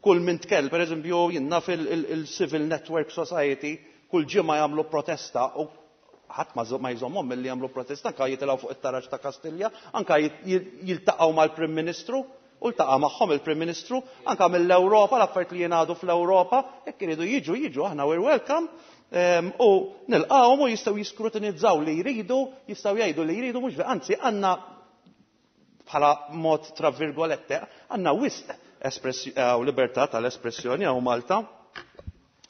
Kull min tkell, per eżempju, jien naf il-Civil Network Society, kull ġimgħa jagħmlu protesta u ħadd ma jżommhom milli jagħmlu protesta, anka jitilgħu fuq it-taraġ ta' Kastilja, anka jiltaqgħu mal-Prim Ministru, u ltaqa' magħhom il-Prim Ministru, anka mill-Ewropa, l-affarijiet li jingħadu fl-Ewropa, jekk iridu jiġu, jiġu, aħna we're welcome, u nilqgħuhom u jistgħu jiskrutinizzaw li jridu, jistgħu jgħidu li jridu, mhux anzi għandna bħala mod tra virgolette, għandna wisq libertà tal-espressjoni hawn Malta.